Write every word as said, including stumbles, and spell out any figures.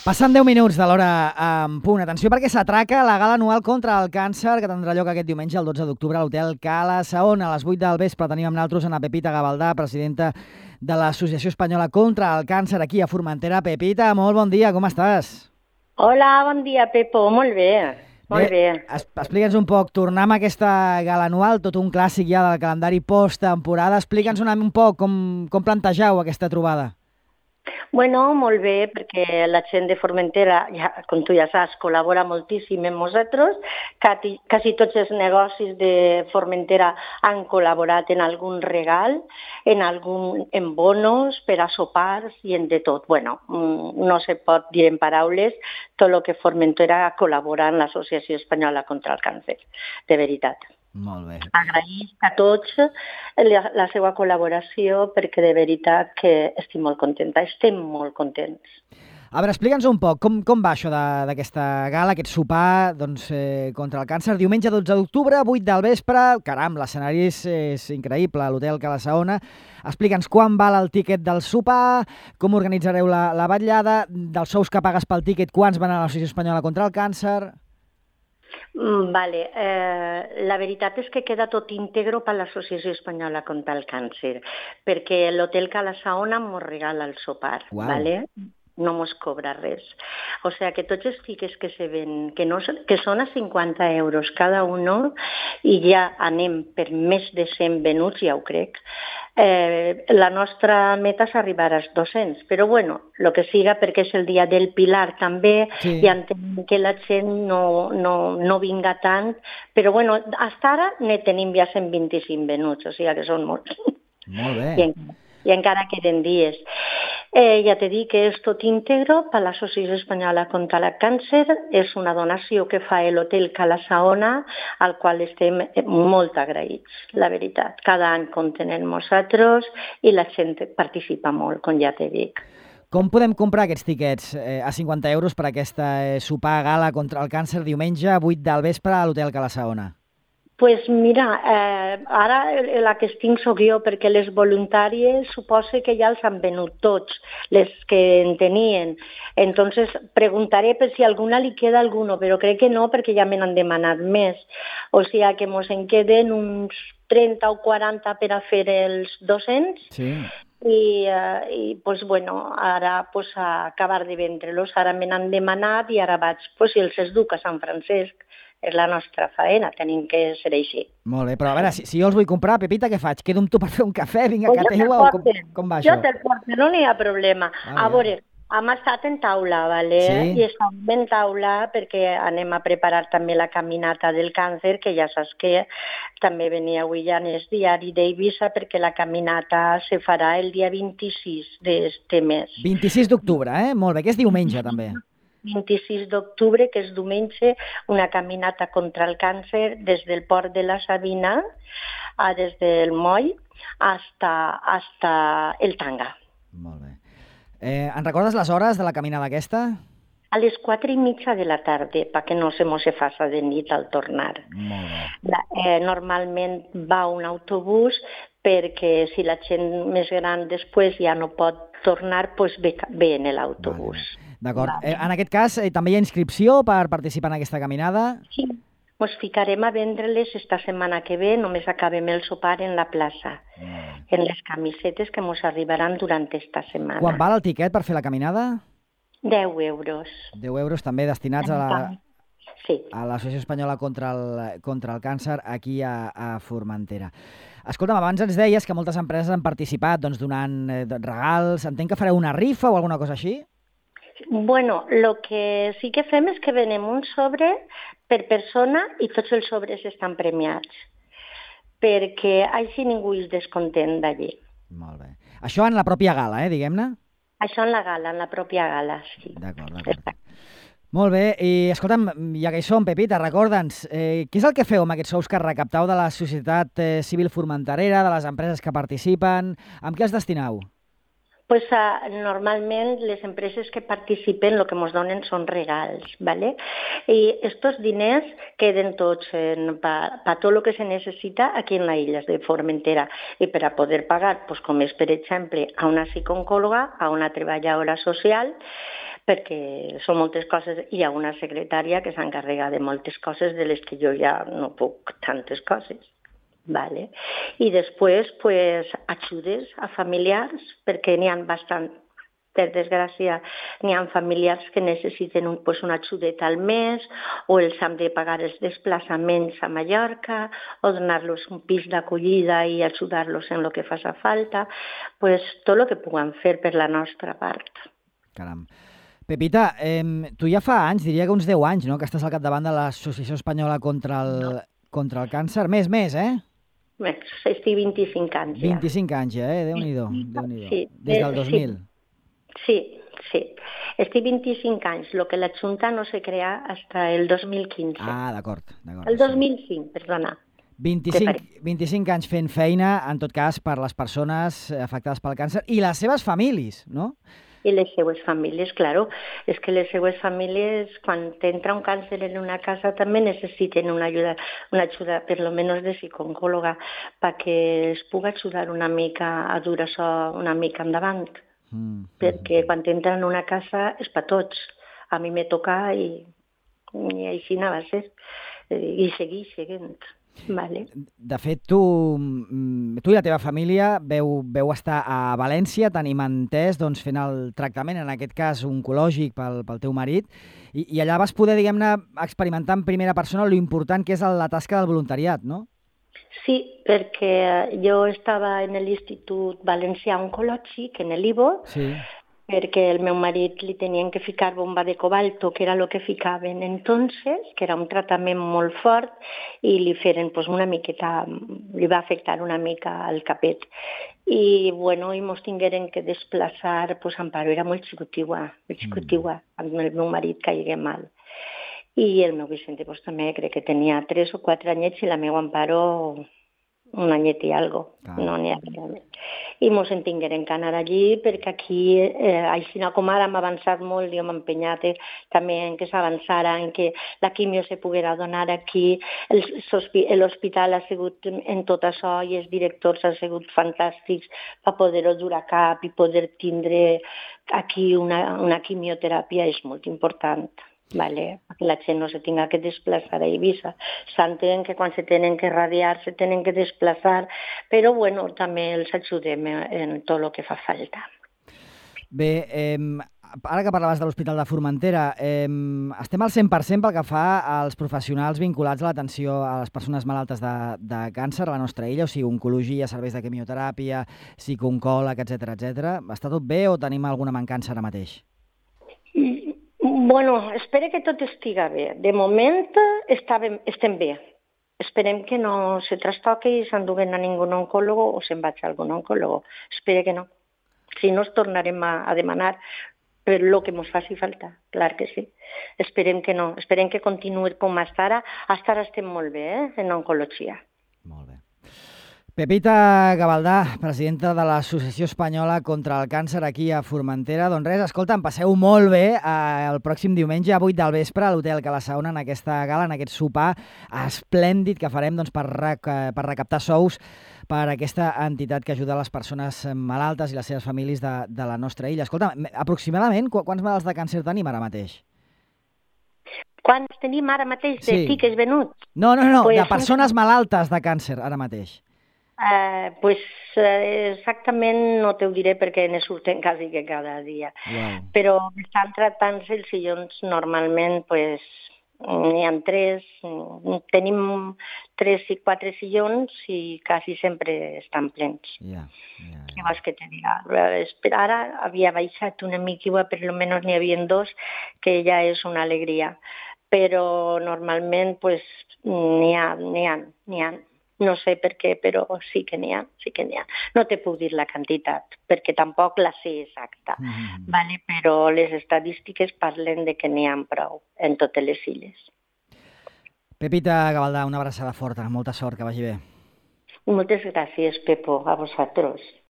Passant deu minuts de l'hora en punt. Atenció perquè s'atraca la gala anual contra el càncer que tindrà lloc aquest diumenge, el dotze d'octubre, a l'Hotel Cala Saona. A les vuit del vespre tenim amb nosaltres a Pepita Gavaldà, presidenta de l'Associació Espanyola contra el Càncer aquí a Formentera. Pepita, molt bon dia, com estàs? Hola, bon dia, Pepo. Molt bé, molt bé. bé. Explica'ns un poc, tornar amb aquesta gala anual, tot un clàssic ja del calendari post-temporada. Explica'ns un, un poc com, com plantegeu aquesta trobada. Bueno, molt bé, perquè la gent de Formentera, ja, com tu ja saps, col·labora moltíssim amb nosaltres. Quasi, quasi tots els negocis de Formentera han col·laborat en algun regal, en, algun, en bonos, per a sopars i en de tot. Bueno, no se pot dir en paraules tot el que Formentera col·labora en l'Associació Espanyola contra el Càncer, de veritat. Molt bé. Agraïsc a tots la, la seva col·laboració perquè de veritat que estic molt contenta, estem molt contents. A veure, explica'ns un poc, com, com va això d'aquesta gala, aquest sopar doncs, eh, contra el càncer? Diumenge dotze d'octubre, vuit del vespre, caram, l'escenari és, és increïble, a l'Hotel Cala Saona. Explica'ns quan val el tíquet del sopar, com organitzareu la, la vetllada, dels sous que pagues pel tíquet, quants van a l'Associació Espanyola contra el Càncer... Vale. Eh, la veritat és que queda tot íntegro per l'Associació Espanyola contra el Càncer, perquè l'Hotel Cala Saona mos regala el sopar, Uau. ¿vale? No mos cobra res. O sigui que tots els tiquets que se ven, que, no, que són a cinquanta euros cada un, i ja anem per més de cent venuts, ja ho crec, eh, la nostra meta és arribar als dos-cents. Però bueno, el que siga, perquè és el dia del Pilar també, sí. I entenem que la gent no, no, no vinga tant, però bueno, fins ara ne tenim ja cent vint-i-cinc venuts, o sigui que són molts. Molt bé. I encara, i encara queden dies. Eh, ja t'he dit que és tot íntegro per l'Associació Espanyola contra el Càncer. És una donació que fa l'Hotel Cala Saona, al qual estem molt agraïts, la veritat. Cada any compten amb nosaltres i la gent participa molt, com ja t'he dit. Com podem comprar aquests tiquets eh, a cinquanta euros per aquesta eh, sopar gala contra el càncer diumenge a vuit del vespre a l'Hotel Cala Saona? Pues mira, eh, ara la que estic soc jo, perquè les voluntàries suposo que ja els han venut tots, les que en tenien. Entonces preguntaré per si a alguna li queda alguno, però crec que no, perquè ja me n'han demanat més. O sigui que mos en queden uns trenta o quaranta per a fer els dos-cents. Sí. I, uh, i pues, bueno, ara pues, a acabar de vendre-los, ara me n'han demanat i ara vaig, pues, si els esduc a Sant Francesc, és la nostra faena, tenim que ser així. Molt bé, però a veure, si, si jo els vull comprar, Pepita, què faig? Quedo amb tu per fer un cafè, vinc a pues casa teva, o com, com va jo això? Jo te'l porto, no n'hi ha problema. Ah, a veure, hem estat en taula, ¿vale? Sí. I estem en taula perquè anem a preparar també la caminata del càncer, que ja saps que també venia avui ja en el diari d'Eivissa, perquè la caminata se farà el dia vint-i-sis d'este mes. vint-i-sis d'octubre, eh? Molt bé, que és diumenge també. vint-i-sis d'octubre, que és diumenge, una caminata contra el càncer des del port de la Sabina, a, des del moll, hasta, hasta el Tanga. Molt bé. Eh, en recordes les hores de la caminada aquesta? A les quatre i mitja de la tarda, perquè no se mos se faça de nit al tornar. Molt bé. La, eh, normalment va un autobús, perquè si la gent més gran després ja no pot tornar, doncs ve, ve en l'autobús. Vale. D'acord. Vale. Eh, en aquest cas, eh, també hi ha inscripció per participar en aquesta caminada? Sí. Ens ficarem a vendre-les esta setmana que ve, només acabem el sopar en la plaça, mm. en les camisetes que ens arribaran durant esta setmana. Quan val el tiquet per fer la caminada? deu euros. deu euros també destinats a la... Sí. a l'Associació Espanyola contra el, contra el Càncer aquí a, a Formentera. Escolta'm, abans ens deies que moltes empreses han participat doncs, donant eh, regals. Entenc que fareu una rifa o alguna cosa així? Bueno, lo que sí que fem és que venem un sobre per persona i tots els sobres estan premiats, perquè així ningú és descontent d'allí. Molt bé. Això en la pròpia gala, eh, diguem-ne? Això en la gala, en la pròpia gala, sí. D'acord, d'acord. Molt bé, i escolta'm, ja que hi som, Pepita, recorda'ns, eh, què és el que feu amb aquests sous que recaptau de la societat eh, civil formenterera, de les empreses que participen, amb què els destineu? Pues, uh, normalment les empreses que participen el que ens donen són regals, ¿vale? I estos diners queden tots per pa tot el que se necessita aquí en la illa de Formentera i per a poder pagar, pues, com és per exemple a una psicòloga, a una treballadora social, perquè són moltes coses. Hi ha una secretària que s'encarrega de moltes coses de les que jo ja no puc tantes coses. Vale. I després, pues, ajudes a familiars, perquè n'hi ha bastant. Per desgràcia, n'hi ha familiars que necessiten un, pues, una ajudeta al mes, o els han de pagar els desplaçaments a Mallorca, o donar-los un pis d'acollida i ajudar-los en el que faci falta, pues, tot el que puguem fer per la nostra part. Caram. Pepita, eh, tu ja fa anys, diria que uns deu anys, no?, que estàs al capdavant de l'Associació Espanyola contra el, no. contra el Càncer. Més, més, eh? Bé, estic vint-i-cinc anys ja. vint-i-cinc anys ja, eh? Déu-n'hi-do. Déu-n'hi-do. Sí. Des del dos mil. Sí. Sí, sí. Estic vint-i-cinc anys, el que la Junta no se crea hasta el dos mil quinze. Ah, d'acord. El dos mil cinc, perdona. vint-i-cinc, vint-i-cinc anys fent feina, en tot cas, per les persones afectades pel càncer i les seves famílies, no? I les seues famílies, claro. És que les seues famílies, quan t'entra un càncer en una casa, també necessiten una ajuda, una ajuda per lo menos de psicòloga, perquè es pugui ajudar una mica a dur això una mica endavant. Mm. Perquè quan t'entren en una casa és per tots. A mi me toca i, i així anava a ser. I seguir seguint. Vale. De fet, tu, tu i la teva família veu, veu estar a València, tenim entès, doncs, fent el tractament, en aquest cas oncològic pel, pel teu marit, i, i allà vas poder, diguem-ne, experimentar en primera persona lo important que és la tasca del voluntariat, no? Sí, perquè jo estava en l'Institut Valencià Oncològic, en l'I V O, sí. Perquè el meu marit li tenien que ficar bomba de cobalto, que era el que ficaven entonces, que era un tractament molt fort, i li feren pues, una miqueta, li va afectar una mica al capet. I, bueno, i mos tingueren que desplaçar, pues, Amparo era molt xicotigua, molt xicotigua, mm. el meu marit caigué mal. I el meu Vicente pues, també crec que tenia tres o quatre anyets i la meva Amparo un anyet i algo. Ah. No n'hi havia més. I mos en tingueren que anar allí perquè aquí, eh, així com ara hem avançat molt i hem empenyat eh, també en que s'avançara, en que la quimio se poguera donar aquí, l'hospital ha sigut en tot això i els directors han sigut fantàstics per poder-ho dur a cap i poder tindre aquí una, una quimioteràpia és molt important. Vale, perquè la gent no se tinga que desplaçar a Eivissa. S'entén que quan se tenen que radiar se tenen que desplaçar, però bueno, també els ajudem en tot el que fa falta. Bé, eh, ara que parlaves de l'Hospital de Formentera, eh, estem al cent per cent pel que fa als professionals vinculats a l'atenció a les persones malaltes de, de càncer a la nostra illa, o sigui, oncologia, serveis de quimioteràpia, psicooncòleg, etcètera, etcètera. Està tot bé o tenim alguna mancança ara mateix? Bueno, espero que tot estiga bé. De moment estàvem, estem bé. Esperem que no se trastoqui i s'enduguen a ningú oncòlogo o se'n vaig a algun oncòlogo. Espero que no. Si no, es tornarem a, a demanar per lo que ens faci falta. Clar que sí. Esperem que no. Esperem que continuï com està ara. Hasta ara estem molt bé, eh, en oncologia. Molt bé. Pepita Gavaldà, presidenta de l'Associació Espanyola contra el Càncer aquí a Formentera. Doncs res, escolta, em passeu molt bé eh, el pròxim diumenge a vuit del vespre a l'Hotel Cala Saona en aquesta gala, en aquest sopar esplèndid que farem doncs, per, rec per recaptar sous per aquesta entitat que ajuda les persones malaltes i les seves famílies de, de la nostra illa. Escolta, aproximadament qu quants malalts de càncer tenim ara mateix? Quants tenim ara mateix de sí. tiques venuts? No, no, no, pues... de persones malaltes de càncer ara mateix. Uh, pues uh, exactament no t'ho diré perquè ne surten quasi que cada dia. Wow. Però estan tractant-se els sillons normalment, pues, n'hi ha tres, tenim tres i quatre sillons i quasi sempre estan plens. Yeah, yeah, yeah. Què vols que te diga? Ara havia baixat una mica, per almenys n'hi havia dos, que ja és una alegria. Però normalment pues, n'hi ha, n'hi ha, n'hi ha. No sé per què, però sí que n'hi ha, sí que n'hi ha. No te puc dir la quantitat, perquè tampoc la sé exacta, mm-hmm. vale? Però les estadístiques parlen de que n'hi ha prou en totes les illes. Pepita Gavaldà, una abraçada forta, molta sort, que vagi bé. Moltes gràcies, Pepo, a vosaltres.